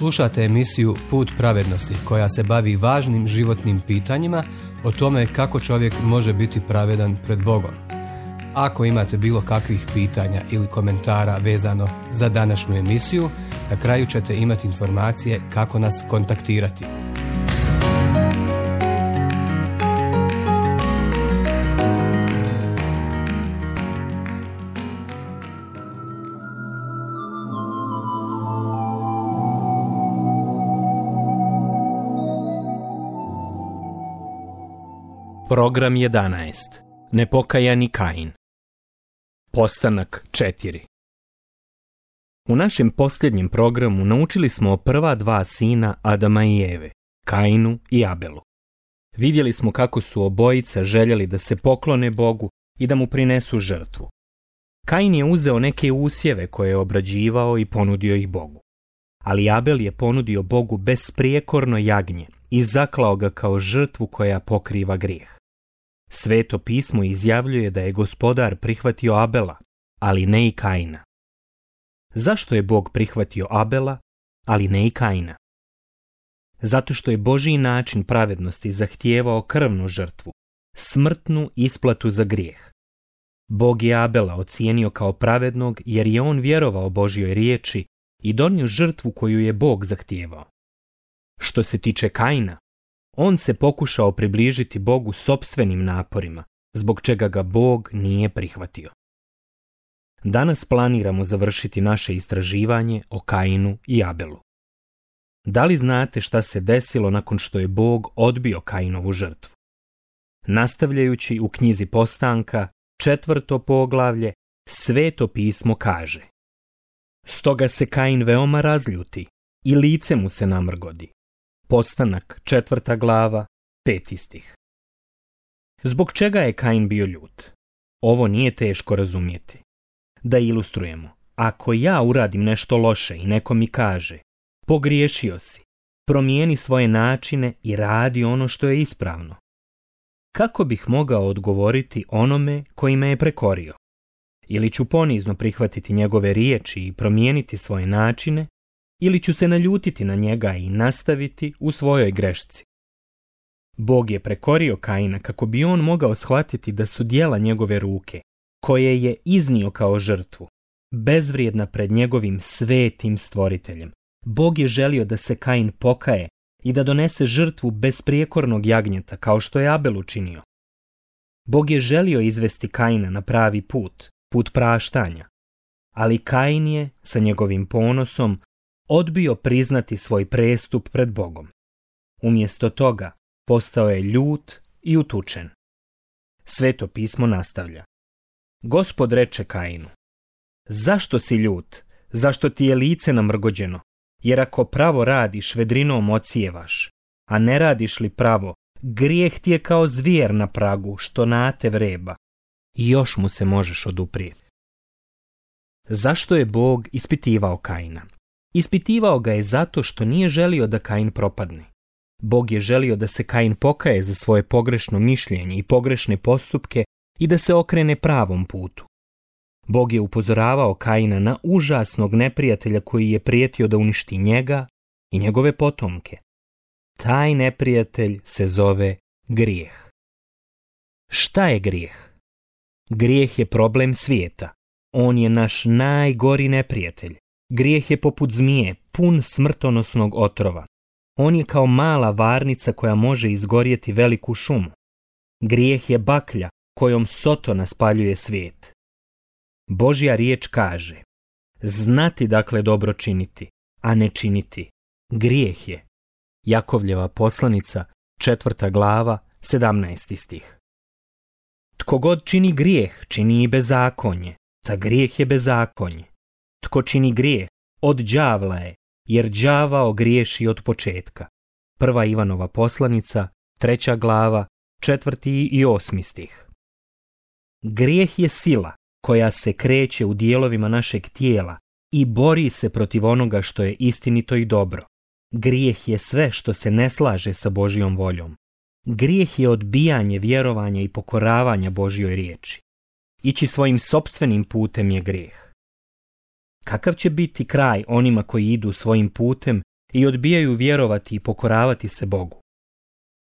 Slušate emisiju Put pravednosti koja se bavi važnim životnim pitanjima o tome kako čovjek može biti pravedan pred Bogom. Ako imate bilo kakvih pitanja ili komentara vezano za današnju emisiju, na kraju ćete imati informacije kako nas kontaktirati. Program 11. Nepokajani Kain. Postanak 4. U našem posljednjem programu naučili smo o prva dva sina Adama i Eve, Kainu i Abelu. Vidjeli smo kako su obojica željeli da se poklone Bogu i da mu prinesu žrtvu. Kain je uzeo neke usjeve koje je obrađivao i ponudio ih Bogu. Ali Abel je ponudio Bogu besprijekorno jagnje i zaklao ga kao žrtvu koja pokriva grijeh. Sveto pismo izjavljuje da je Gospodar prihvatio Abela, ali ne i Kaina. Zašto je Bog prihvatio Abela, ali ne i Kaina? Zato što je Božji način pravednosti zahtijevao krvnu žrtvu, smrtnu isplatu za grijeh. Bog je Abela ocijenio kao pravednog jer je on vjerovao Božjoj riječi i donio žrtvu koju je Bog zahtijevao. Što se tiče Kaina, on se pokušao približiti Bogu sopstvenim naporima, zbog čega ga Bog nije prihvatio. Danas planiramo završiti naše istraživanje o Kainu i Abelu. Da li znate šta se desilo nakon što je Bog odbio Kainovu žrtvu? Nastavljajući u knjizi Postanka, 4. poglavlje, Sveto pismo kaže: Stoga se Kain veoma razljuti i lice mu se namrgodi. Postanak 4. glava, 5. stih. Zbog čega je Kain bio ljut? Ovo nije teško razumjeti. Da ilustrujemo, ako ja uradim nešto loše i neko mi kaže: pogriješio si, promijeni svoje načine i radi ono što je ispravno. Kako bih mogao odgovoriti onome koji me je prekorio? Ili ću ponizno prihvatiti njegove riječi i promijeniti svoje načine, ili ću se naljutiti na njega i nastaviti u svojoj grešci. Bog je prekorio Kaina kako bi on mogao shvatiti da su djela njegove ruke, koje je iznio kao žrtvu, bezvrijedna pred njegovim svetim stvoriteljem. Bog je želio da se Kain pokaje i da donese žrtvu besprijekornog jagnjeta kao što je Abel učinio. Bog je želio izvesti Kaina na pravi put, put praštanja, ali Kain je sa njegovim ponosom odbio priznati svoj prestup pred Bogom. Umjesto toga postao je ljut i utučen. Sveto pismo nastavlja: Gospod reče Kainu: zašto si ljut? Zašto ti je lice namrgođeno? Jer ako pravo radiš, vedrinom ocijevaš, a ne radiš li pravo, grijeh ti je kao zvijer na pragu, što nate vreba. I još mu se možeš oduprijeti. Zašto je Bog ispitivao Kaina? Ispitivao ga je zato što nije želio da Kain propadne. Bog je želio da se Kain pokaje za svoje pogrešno mišljenje i pogrešne postupke i da se okrene pravom putu. Bog je upozoravao Kaina na užasnog neprijatelja koji je prijetio da uništi njega i njegove potomke. Taj neprijatelj se zove grijeh. Šta je grijeh? Grijeh je problem svijeta. On je naš najgori neprijatelj. Grijeh je poput zmije, pun smrtonosnog otrova. On je kao mala varnica koja može izgorjeti veliku šumu. Grijeh je baklja kojom Sotona spaljuje svijet. Božja riječ kaže: znati dakle dobro činiti, a ne činiti, grijeh je. Jakovljeva poslanica, 4. glava, 17. stih. Tko god čini grijeh, čini i bezakonje, ta grijeh je bezakonje. Tko čini grijeh, od đavla je, jer đavao griješi od početka. 1. Ivanova poslanica, 3. glava, 4. i 8. stih. Grijeh je sila koja se kreće u dijelovima našeg tijela i bori se protiv onoga što je istinito i dobro. Grijeh je sve što se ne slaže sa Božjom voljom. Grijeh je odbijanje vjerovanja i pokoravanja Božjoj riječi. Ići svojim sopstvenim putem je grijeh. Kakav će biti kraj onima koji idu svojim putem i odbijaju vjerovati i pokoravati se Bogu.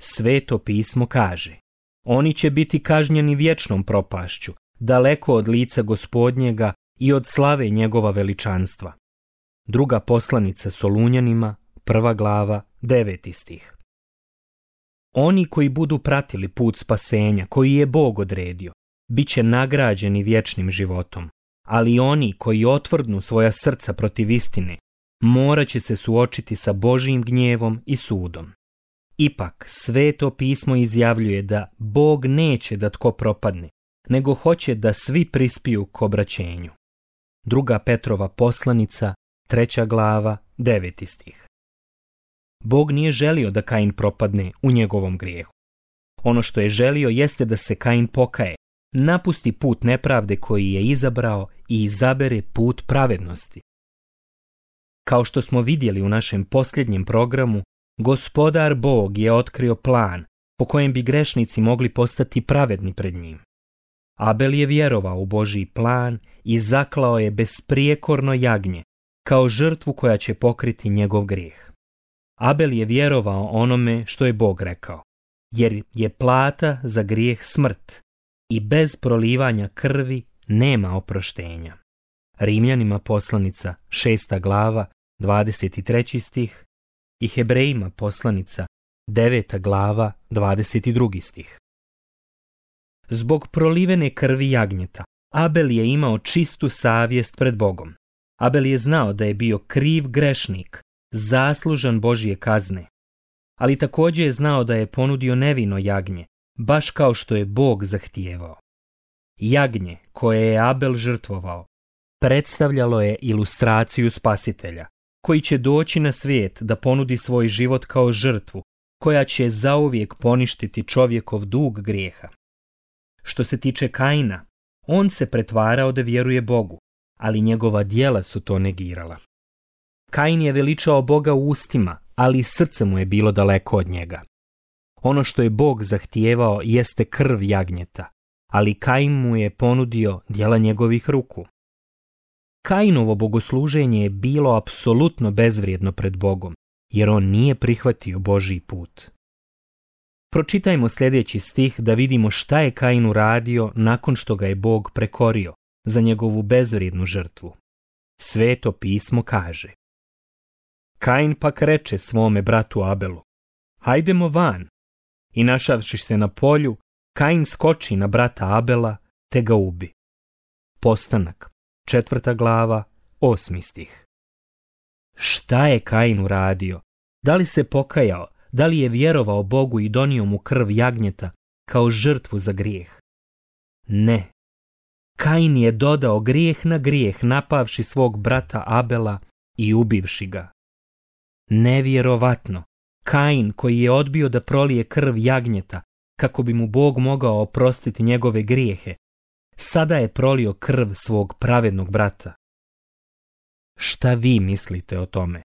Sveto pismo kaže: oni će biti kažnjeni vječnom propašću, daleko od lica Gospodnjega i od slave njegova veličanstva. Druga poslanica Solunjanima, 1. glava, 9. stih. Oni koji budu pratili put spasenja koji je Bog odredio, bit će nagrađeni vječnim životom, ali oni koji otvrdnu svoja srca protiv istine, morat će se suočiti sa Božjim gnjevom i sudom. Ipak, Sveto pismo izjavljuje da Bog neće da tko propadne, nego hoće da svi prispiju k obraćenju. Druga Petrova poslanica, 3. glava, 9. stih. Bog nije želio da Kain propadne u njegovom grijehu. Ono što je želio jeste da se Kain pokaje, napusti put nepravde koji je izabrao i izabere put pravednosti. Kao što smo vidjeli u našem posljednjem programu, Gospodar Bog je otkrio plan po kojem bi grešnici mogli postati pravedni pred njim. Abel je vjerovao u Božji plan i zaklao je besprijekorno jagnje kao žrtvu koja će pokriti njegov grijeh. Abel je vjerovao onome što je Bog rekao, jer je plata za grijeh smrt i bez prolivanja krvi nema oproštenja. Rimljanima poslanica 6. glava, 23. stih i Hebrejima poslanica 9. glava, 22. stih. Zbog prolivene krvi jagnjeta, Abel je imao čistu savjest pred Bogom. Abel je znao da je bio kriv grešnik, zaslužan Božje kazne, ali također je znao da je ponudio nevino jagnje, baš kao što je Bog zahtijevao. Jagnje koje je Abel žrtvovao predstavljalo je ilustraciju Spasitelja, koji će doći na svijet da ponudi svoj život kao žrtvu, koja će zauvijek poništiti čovjekov dug grijeha. Što se tiče Kaina, on se pretvarao da vjeruje Bogu, ali njegova djela su to negirala. Kain je veličao Boga u ustima, ali srce mu je bilo daleko od njega. Ono što je Bog zahtijevao jeste krv jagnjeta, ali Kain mu je ponudio djela njegovih ruku. Kainovo bogosluženje je bilo apsolutno bezvrijedno pred Bogom, jer on nije prihvatio Božji put. Pročitajmo sljedeći stih da vidimo šta je Kain uradio nakon što ga je Bog prekorio za njegovu bezvrijednu žrtvu. Sveto pismo kaže: Kain pak reče svome bratu Abelu: hajdemo van. I našavši se na polju, Kain skoči na brata Abela te ga ubi. Postanak, 4. glava, 8. stih. Šta je Kain uradio? Da li se pokajao? Da li je vjerovao Bogu i donio mu krv jagnjeta kao žrtvu za grijeh? Ne. Kain je dodao grijeh na grijeh, napavši svog brata Abela i ubivši ga. Nevjerovatno. Kain, koji je odbio da prolije krv jagnjeta kako bi mu Bog mogao oprostiti njegove grijehe, sada je prolio krv svog pravednog brata. Šta vi mislite o tome?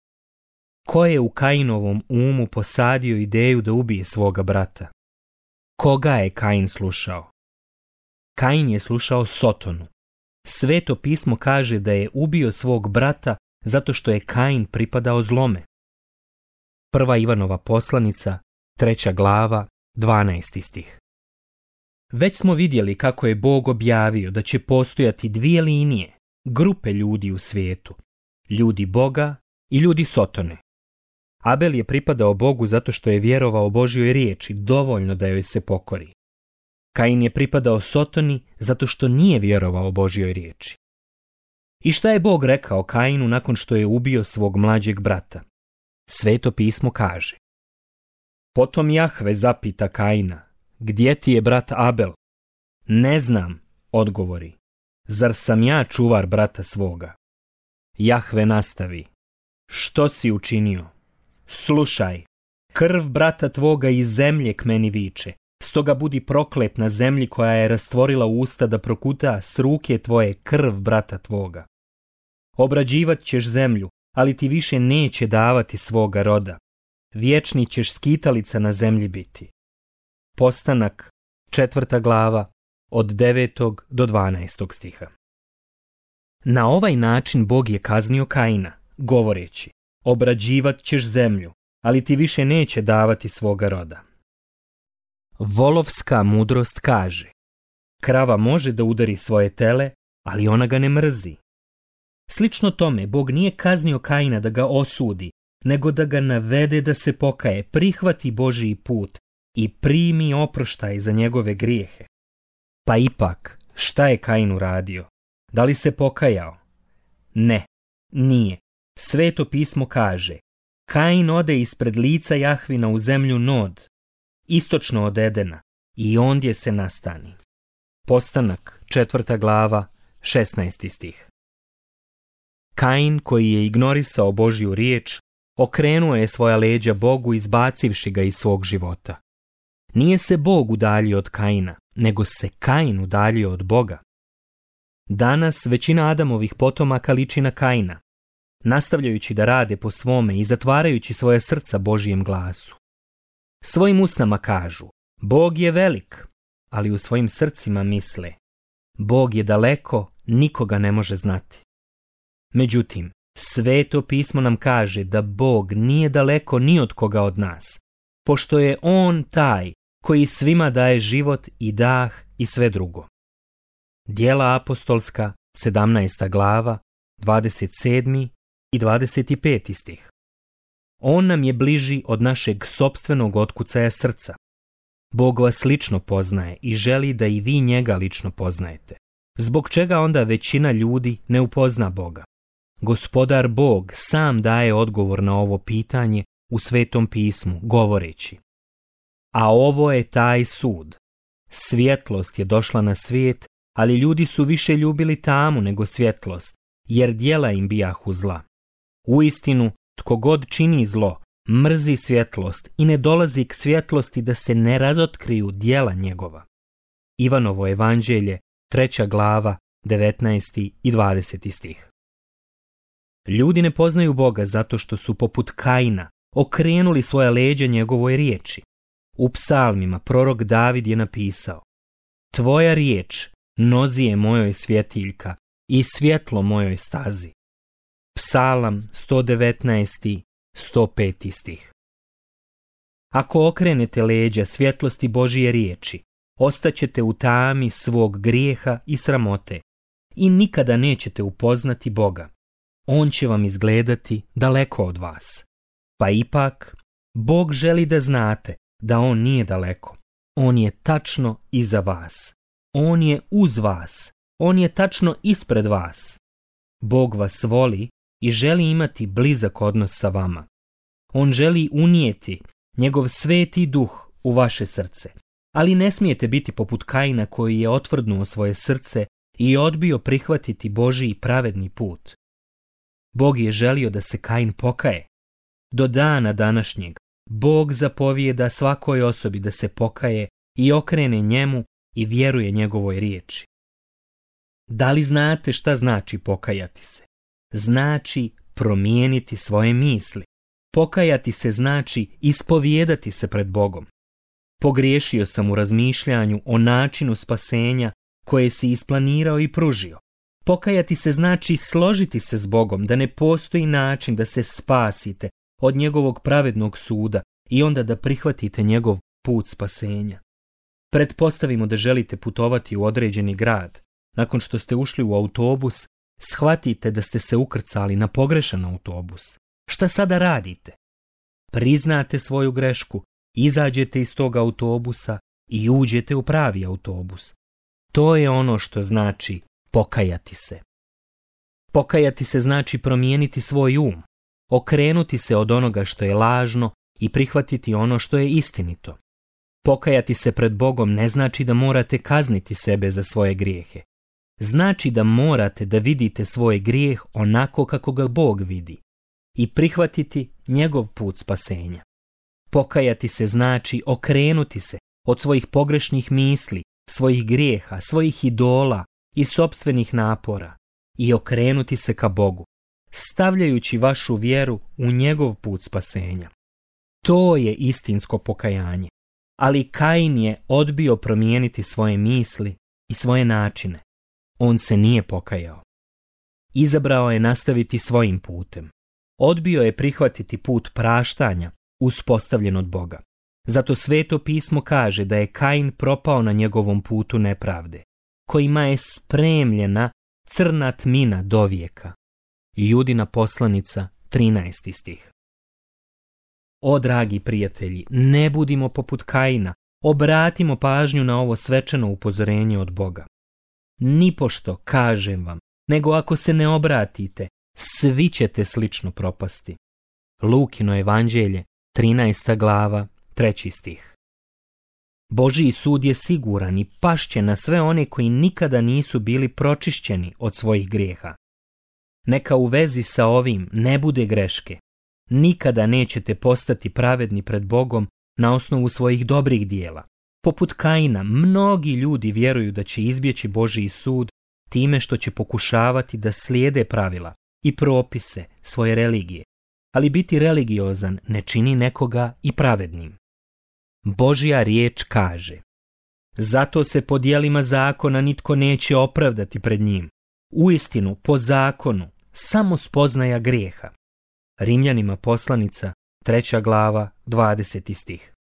Ko je u Kainovom umu posadio ideju da ubije svoga brata? Koga je Kain slušao? Kain je slušao Sotonu. Sveto pismo kaže da je ubio svog brata zato što je Kain pripadao zlome. 1. Ivanova poslanica, 3. glava, 12. stih. Već smo vidjeli kako je Bog objavio da će postojati dvije linije, grupe ljudi u svijetu, ljudi Boga i ljudi Sotone. Abel je pripadao Bogu zato što je vjerovao Božjoj riječi dovoljno da joj se pokori. Kain je pripadao Sotoni zato što nije vjerovao Božjoj riječi. I šta je Bog rekao Kainu nakon što je ubio svog mlađeg brata? Sveto pismo kaže: Potom Jahve zapita Kaina: gdje ti je brat Abel? Ne znam, odgovori. Zar sam ja čuvar brata svoga? Jahve nastavi: što si učinio? Slušaj, krv brata tvoga iz zemlje k meni viče, stoga budi proklet na zemlji koja je rastvorila usta da prokuta s ruke tvoje krv brata tvoga. Obrađivat ćeš zemlju, ali ti više neće davati svoga roda. Vječni ćeš skitalica na zemlji biti. Postanak, 4. glava, od 9. do 12. stiha. Na ovaj način Bog je kaznio Kaina, govoreći: obrađivat ćeš zemlju, ali ti više neće davati svoga roda. Volovska mudrost kaže: krava može da udari svoje tele, ali ona ga ne mrzi. Slično tome, Bog nije kaznio Kaina da ga osudi, nego da ga navede da se pokaje, prihvati Božiji put i primi oproštaj za njegove grijehe. Pa ipak, šta je Kain uradio? Da li se pokajao? Ne, nije. Sveto pismo kaže: Kain ode ispred lica Jahvina u zemlju Nod, istočno od Edena, i ondje se nastani. Postanak, 4. glava, 16. stih. Kain, koji je ignorisao Božju riječ, okrenuo je svoja leđa Bogu, izbacivši ga iz svog života. Nije se Bog udaljio od Kaina, nego se Kain udaljio od Boga. Danas većina Adamovih potomaka liči na Kaina, nastavljajući da rade po svome i zatvarajući svoje srca Božijem glasu. Svojim usnama kažu: Bog je velik, ali u svojim srcima misle: Bog je daleko, nikoga ne može znati. Međutim, Sveto pismo nam kaže da Bog nije daleko ni od koga od nas, pošto je On taj koji svima daje život i dah i sve drugo. Djela apostolska, 17. glava, 27. i 25. stih. On nam je bliži od našeg sopstvenog otkucaja srca. Bog vas lično poznaje i želi da i vi njega lično poznajete. Zbog čega onda većina ljudi ne upozna Boga? Gospodar Bog sam daje odgovor na ovo pitanje u Svetom pismu, govoreći: a ovo je taj sud. Svjetlost je došla na svijet, ali ljudi su više ljubili tamu nego svjetlost, jer djela im bijahu zla. Uistinu, tko god čini zlo, mrzi svjetlost i ne dolazi k svjetlosti da se ne razotkriju djela njegova. Ivanovo evanđelje, 3. glava, 19. i 20. stih. Ljudi ne poznaju Boga zato što su poput Kaina okrenuli svoja leđa njegovoj riječi. U psalmima prorok David je napisao: Tvoja riječ nozi je mojoj svjetiljka i svjetlo mojoj stazi. Psalam 119. 105. stih. Ako okrenete leđa svjetlosti Božije riječi, ostaćete u tami svog grijeha i sramote i nikada nećete upoznati Boga. On će vam izgledati daleko od vas. Pa ipak, Bog želi da znate da On nije daleko. On je tačno iza vas. On je uz vas. On je tačno ispred vas. Bog vas voli i želi imati blizak odnos sa vama. On želi unijeti njegov sveti duh u vaše srce. Ali ne smijete biti poput Kaina koji je otvrdnuo svoje srce i odbio prihvatiti Božji pravedni put. Bog je želio da se Kain pokaje. Do dana današnjeg Bog zapovijeda svakoj osobi da se pokaje i okrene njemu i vjeruje njegovoj riječi. Da li znate šta znači pokajati se? Znači promijeniti svoje misli. Pokajati se znači ispovijedati se pred Bogom. Pogriješio sam u razmišljanju o načinu spasenja koje si isplanirao i pružio. Pokajati se znači složiti se s Bogom da ne postoji način da se spasite od njegovog pravednog suda i onda da prihvatite njegov put spasenja. Pretpostavimo da želite putovati u određeni grad. Nakon što ste ušli u autobus, shvatite da ste se ukrcali na pogrešan autobus. Šta sada radite? Priznate svoju grešku, izađete iz tog autobusa i uđete u pravi autobus. To je ono što znači pokajati se. Pokajati se znači promijeniti svoj um, okrenuti se od onoga što je lažno i prihvatiti ono što je istinito. Pokajati se pred Bogom ne znači da morate kazniti sebe za svoje grijehe. Znači da morate da vidite svoj grijeh onako kako ga Bog vidi i prihvatiti njegov put spasenja. Pokajati se znači okrenuti se od svojih pogrešnih misli, svojih grijeha, svojih idola i sopstvenih napora i okrenuti se ka Bogu, stavljajući vašu vjeru u njegov put spasenja. To je istinsko pokajanje, ali Kain je odbio promijeniti svoje misli i svoje načine. On se nije pokajao. Izabrao je nastaviti svojim putem. Odbio je prihvatiti put praštanja uspostavljen od Boga. Zato Sveto pismo kaže da je Kain propao na njegovom putu nepravde, kojima je spremljena crna tmina dovijeka. Judina poslanica, 13. stih. O, dragi prijatelji, ne budimo poput Kaina, obratimo pažnju na ovo svečano upozorenje od Boga. Nipošto, kažem vam, nego ako se ne obratite, svi ćete slično propasti. Lukino evanđelje, 13. glava, 3. stih. Božji sud je siguran i pašće na sve one koji nikada nisu bili pročišćeni od svojih grijeha. Neka u vezi sa ovim ne bude greške. Nikada nećete postati pravedni pred Bogom na osnovu svojih dobrih dijela. Poput Kaina, mnogi ljudi vjeruju da će izbjeći Božji sud time što će pokušavati da slijede pravila i propise svoje religije. Ali biti religiozan ne čini nekoga i pravednim. Božja riječ kaže: zato se po djelima zakona nitko neće opravdati pred njim. Uistinu, po zakonu, samo spoznaja grijeha. Rimljanima poslanica, 3. glava, 20. stih.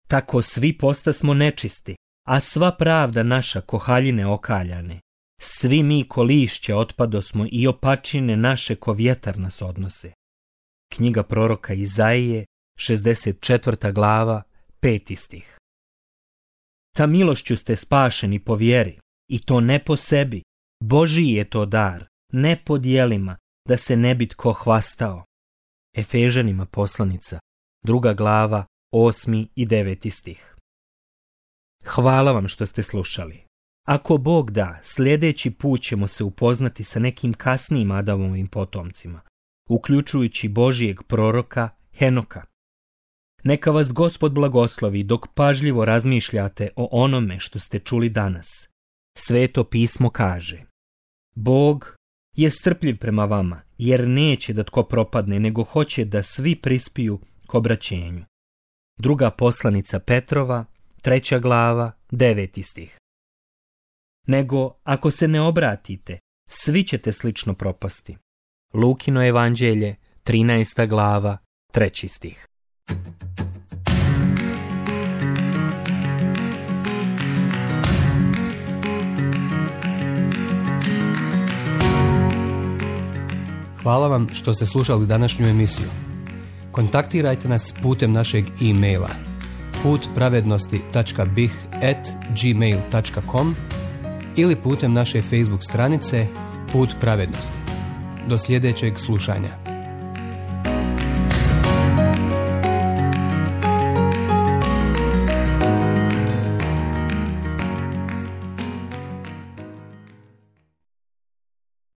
Tako svi postasmo nečisti, a sva pravda naša ko haljine okaljane. Svi mi ko lišće otpadosmo i opačine naše ko vjetar nas odnose. Knjiga proroka Izaije, 64. glava, 5. stih. Ta milošću ste spašeni po vjeri, i to ne po sebi. Božji je to dar, ne po djelima, da se ne bi tko hvastao. Efežanima poslanica, 2. glava, 8. i 9. stih. Hvala vam što ste slušali. Ako Bog da, sljedeći put ćemo se upoznati sa nekim kasnijim Adamovim potomcima, uključujući Božijeg proroka Henoka. Neka vas Gospod blagoslovi dok pažljivo razmišljate o onome što ste čuli danas. Sveto pismo kaže: Bog je strpljiv prema vama, jer neće da tko propadne, nego hoće da svi prispiju k obraćenju. Druga poslanica Petrova, 3. glava, 9. stih. Nego, ako se ne obratite, svi ćete slično propasti. Lukino evanđelje, 13. glava, 3. stih. Hvala vam što ste slušali današnju emisiju. Kontaktirajte nas putem našeg e-maila putpravednosti.bih@gmail.com ili putem naše Facebook stranice Put pravednosti. Do sljedećeg slušanja.